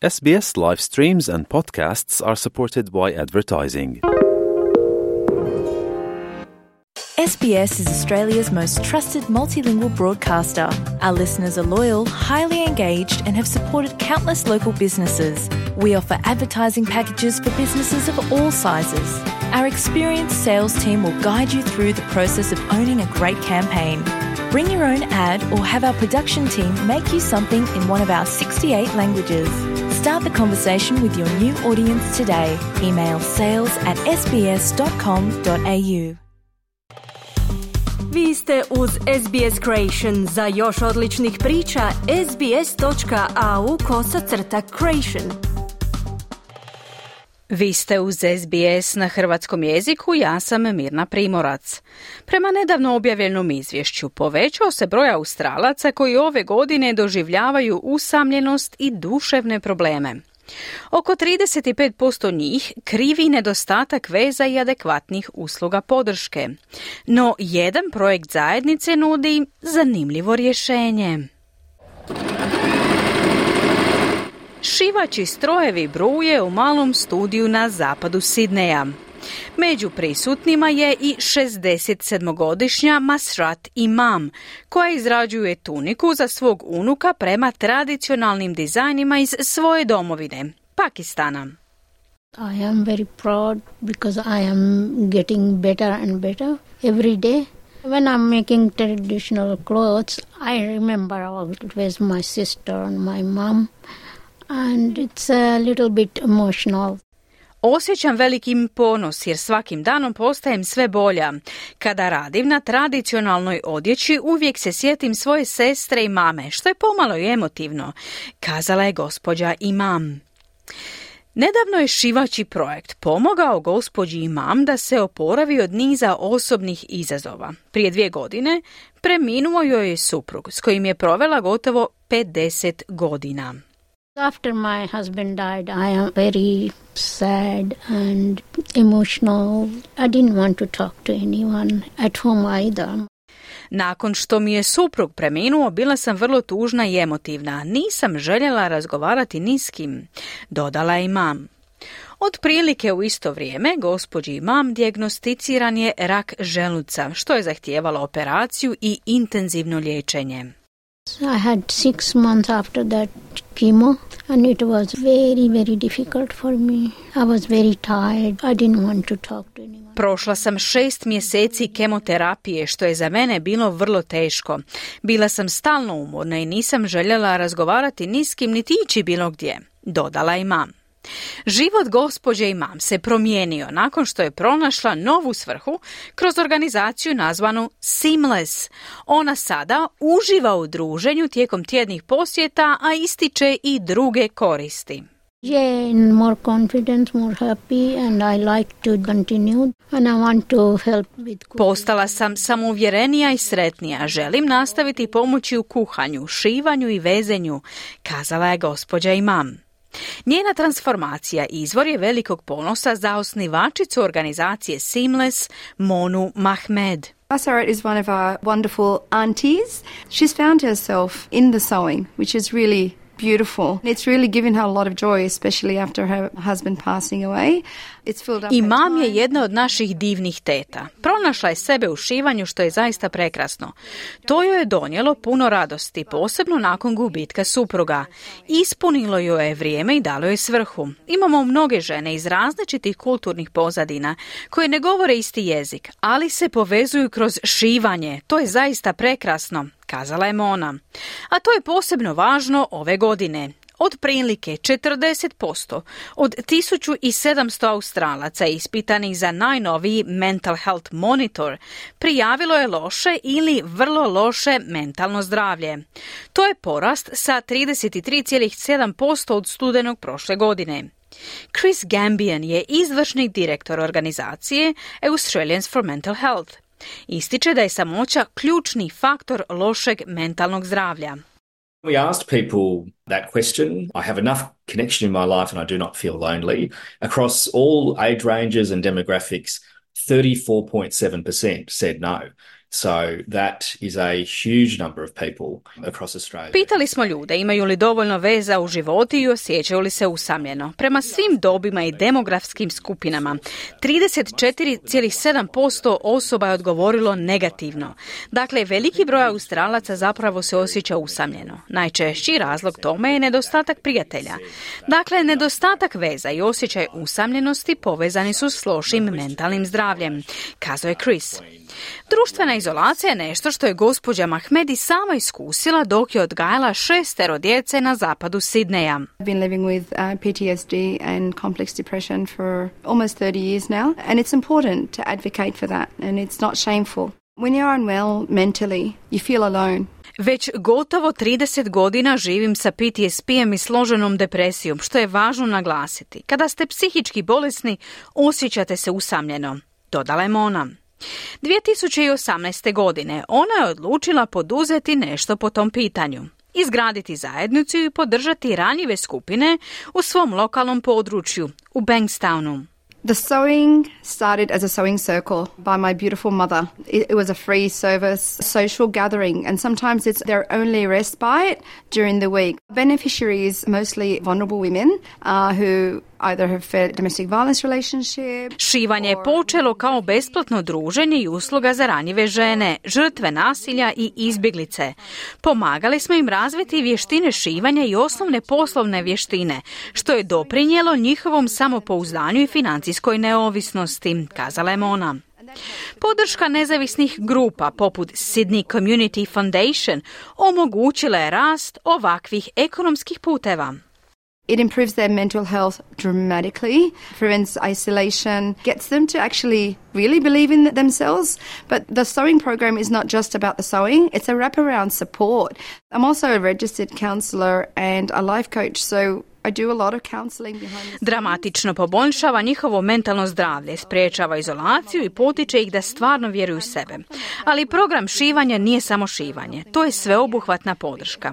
SBS live streams and podcasts are supported by advertising. SBS is Australia's most trusted multilingual broadcaster. Our listeners are loyal, highly engaged, and have supported countless local businesses. We offer advertising packages for businesses of all sizes. Our experienced sales team will guide you through the process of owning a great campaign. Bring your own ad or have our production team make you something in one of our 68 languages. Start the conversation with your new audience today. Email sales@sbs.com.au. Vi ste uz SBS Creation. Za još odličnih priča, sbs.au/creation. Vi ste uz SBS na hrvatskom jeziku, ja sam Mirna Primorac. Prema nedavno objavljenom izvješću povećao se broj Australaca koji ove godine doživljavaju usamljenost i duševne probleme. Oko 35% njih krivi nedostatak veza i adekvatnih usluga podrške. No, jedan projekt zajednice nudi zanimljivo rješenje. Šivaći strojevi bruje u malom studiju na zapadu Sidneja. Među prisutnima je i 67-godišnja Masrat Imam, koja izrađuje tuniku za svog unuka prema tradicionalnim dizajnima iz svoje domovine, Pakistana. I am very proud because I am getting better and better every day. When I'm making traditional clothes, I remember always my sister and my mom, and it's a little bit emotional. Osjećam velikim ponos jer svakim danom postajem sve bolja. Kada radim na tradicionalnoj odjeći, uvijek se sjetim svoje sestre i mame, što je pomalo i emotivno, kazala je gospođa Imam. Nedavno je šivaći projekt pomogao gospođi Imam da se oporavi od niza osobnih izazova. Prije 2 godine preminuo joj je suprug s kojim je provela gotovo 50 godina. After my husband died, I am very sad and emotional. I didn't want to talk to anyone at home either. Nakon što mi je suprug preminuo, bila sam vrlo tužna i emotivna. Nisam željela razgovarati ni s kim, dodala je Imam. Otprilike u isto vrijeme gospođi Imam dijagnosticiran je rak želuca, što je zahtijevalo operaciju i intenzivno liječenje. I had 6 months after that chemo and it was very, very difficult for me. I was very tired. I didn't want to talk to anyone. Prošla sam 6 mjeseci kemoterapije, što je za mene bilo vrlo teško. Bila sam stalno umorna i nisam željela razgovarati ni s kim niti ići bilo gdje, dodala Imam. Život gospođe Imam se promijenio nakon što je pronašla novu svrhu kroz organizaciju nazvanu Seamless. Ona sada uživa u druženju tijekom tjednih posjeta, a ističe i druge koristi. Yeah, more confidence, more happy, and I like to continue and I want to help with cooking. Postala sam samouvjerenija i sretnija. Želim nastaviti pomoći u kuhanju, šivanju i vezenju, kazala je gospođa Imam. Njena transformacija izvor je velikog ponosa za osnivačicu organizacije Seamless, Monu Mahmed. Masrat is one of our wonderful aunties. She's found herself in the sewing, which is really beautiful. It's really given her a lot of joy, especially after her husband passing away. It's filled up Imam je jedna od naših divnih teta. Pronašla je sebe u šivanju, što je zaista prekrasno. To joj je donijelo puno radosti, posebno nakon gubitka supruga. Ispunilo joj je vrijeme i dalo je svrhu. Imamo mnoge žene iz različitih kulturnih pozadina koje ne govore isti jezik, ali se povezuju kroz šivanje. To je zaista prekrasno, kazala je Mona. A to je posebno važno ove godine. Otprilike 40% od 1700 Australaca ispitanih za najnoviji Mental Health Monitor prijavilo je loše ili vrlo loše mentalno zdravlje. To je porast sa 33,7% od studenog prošle godine. Chris Gambian je izvršni direktor organizacije Australians for Mental Health. Ističe da je samoća ključni faktor lošeg mentalnog zdravlja. We asked people that question. I have enough connection in my life and I do not feel lonely. Across all age ranges and demographics, 34.7% said no. So that is a huge number of people across Australia. Pitali smo ljude imaju li dovoljno veza u životu i osjećaju li se usamljeno. Prema svim dobima i demografskim skupinama, 34,7% osoba je odgovorilo negativno. Dakle, veliki broj Australaca zapravo se osjeća usamljeno. Najčešći razlog tome je nedostatak prijatelja. Dakle, nedostatak veza i osjećaj usamljenosti povezani su s lošim mentalnim zdravljem, kazao je Chris. Društvena izolacija je nešto što je gospođa Mahmedi sama iskusila dok je odgajala 6 djece na zapadu Sidneja. I've been living with PTSD and complex depression for almost 30 years now, and it's important to advocate for that, and it's not shameful. When you're unwell mentally, you feel alone. Već gotovo 30 godina živim sa PTSP-em i složenom depresijom, što je važno naglasiti. Kada ste psihički bolesni, osjećate se usamljeno, dodala je Mona. 2018. godine ona je odlučila poduzeti nešto po tom pitanju. Izgraditi zajednicu i podržati ranjive skupine u svom lokalnom području, u Bankstownu. The sewing started as a sewing circle by my beautiful mother. It was a free service, social gathering, and sometimes it's their only respite during the week. Beneficiaries, mostly vulnerable women who either have fed domestic violence relationship. Šivanje je počelo kao besplatno druženje i usluga za ranjive žene, žrtve nasilja i izbjeglice. Pomagali smo im razviti vještine šivanja i osnovne poslovne vještine, što je doprinijelo njihovom samopouzdanju i financijskoj neovisnosti, kazala je Mona. Podrška nezavisnih grupa poput Sydney Community Foundation omogućila je rast ovakvih ekonomskih puteva. It improves their mental health dramatically, prevents isolation, gets them to actually really believe in themselves. But the sewing program is not just about the sewing, it's a wraparound support. I'm also a registered counsellor and a life coach, so I do a lot of counselling behind the scenes. Dramatično poboljšava njihovo mentalno zdravlje, sprečava izolaciju i potiče ih da stvarno vjeruju u sebe. Ali program šivanja nije samo šivanje, to je sveobuhvatna podrška.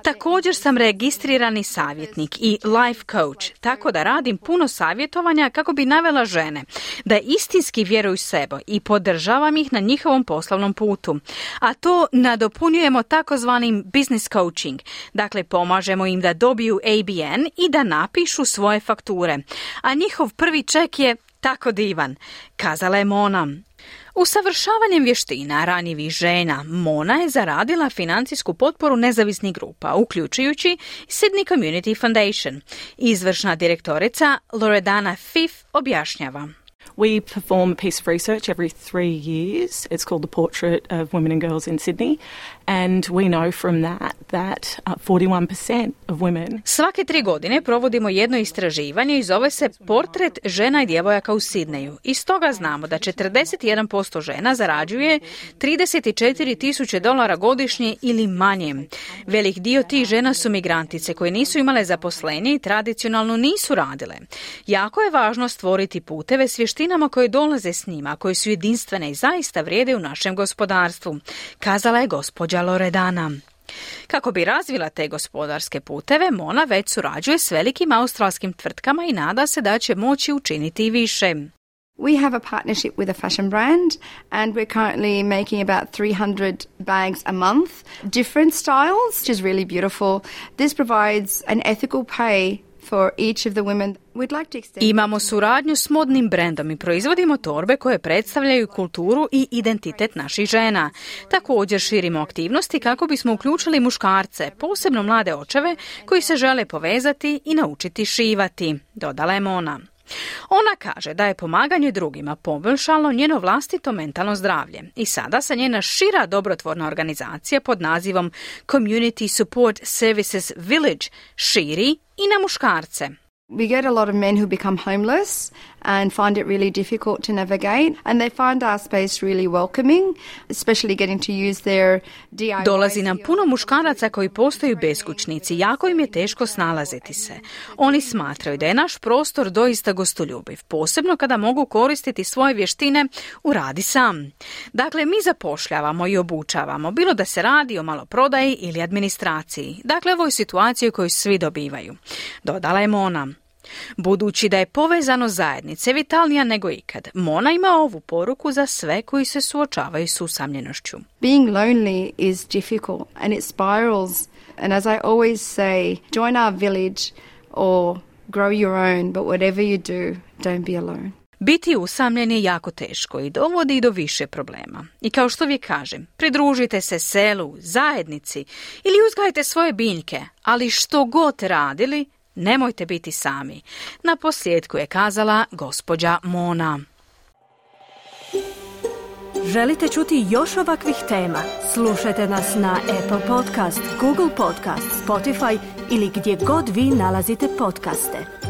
Također sam registrirani savjetnik i life coach, tako da radim puno savjetovanja kako bi navela žene da istinski vjeruju u sebe i podržavam ih na njihovom poslovnom putu. A to nadopunjujemo takozvanim business coaching, dakle pomažemo im da dobiju ABN i da napišu svoje fakture. A njihov prvi ček je tako divan, kazala je Mona. Usavršavanjem vještina ranjivih žena, Mona je zaradila financijsku potporu nezavisnih grupa, uključujući Sydney Community Foundation. Izvršna direktorica Loredana Fiff objašnjava. We perform a piece of research every 3 years. It's called the Portrait of Women and Girls in Sydney. And we know from that 41% of women... Svake 3 godine provodimo jedno istraživanje i zove se Portret žena i djevojaka u Sidneju. I stoga znamo da 41% žena zarađuje $34,000 godišnje ili manje. Velik dio tih žena su migrantice koje nisu imale zaposlenje i tradicionalno nisu radile. Jako je važno stvoriti puteve s vještinama koje dolaze s njima, koje su jedinstvene i zaista vrijede u našem gospodarstvu, kazala je gospođa Loredana. Kako bi razvila te gospodarske puteve, Mona već surađuje s velikim australskim tvrtkama i nada se da će moći učiniti i više. We have a partnership with a fashion brand and we're currently making about 300 bags a month, different styles, which is really beautiful. This provides an ethical pay for each of the women. We'd like to extend... Imamo suradnju s modnim brendom i proizvodimo torbe koje predstavljaju kulturu i identitet naših žena. Također širimo aktivnosti kako bismo uključili muškarce, posebno mlade očeve koji se žele povezati i naučiti šivati, dodala je Mona. Ona kaže da je pomaganje drugima poboljšalo njeno vlastito mentalno zdravlje i sada se njena šira dobrotvorna organizacija pod nazivom Community Support Services Village širi i na muškarce. We get a lot of men who become homeless and find it really difficult to navigate, and they find our space really welcoming, especially getting to use their DIY. Dolazi nam puno muškaraca koji postaju beskućnici, jako im je teško snalaziti se. Oni smatraju da je naš prostor doista gostoljubiv, posebno kada mogu koristiti svoje vještine u radi sam. Dakle, mi zapošljavamo i obučavamo, bilo da se radi o maloprodaji ili administraciji. Dakle, ovo je situacija koju svi dobivaju, dodala je Mona. Budući da je povezanost zajednice vitalnija nego ikad, Mona ima ovu poruku za sve koji se suočavaju s usamljenošću. Being lonely is difficult and it spirals. And as I always say, join our village or grow your own, but whatever you do, don't be alone. Biti usamljen je jako teško i dovodi do više problema. I kao što uvijek kažem, pridružite se selu, zajednici ili uzgajte svoje biljke, ali što god radili, nemojte biti sami. Na posljedku je kazala gospođa Mona. Želite čuti još ovakvih tema? Slušajte nas na Apple Podcast, Google Podcast, Spotify ili gdje god vi nalazite podcaste.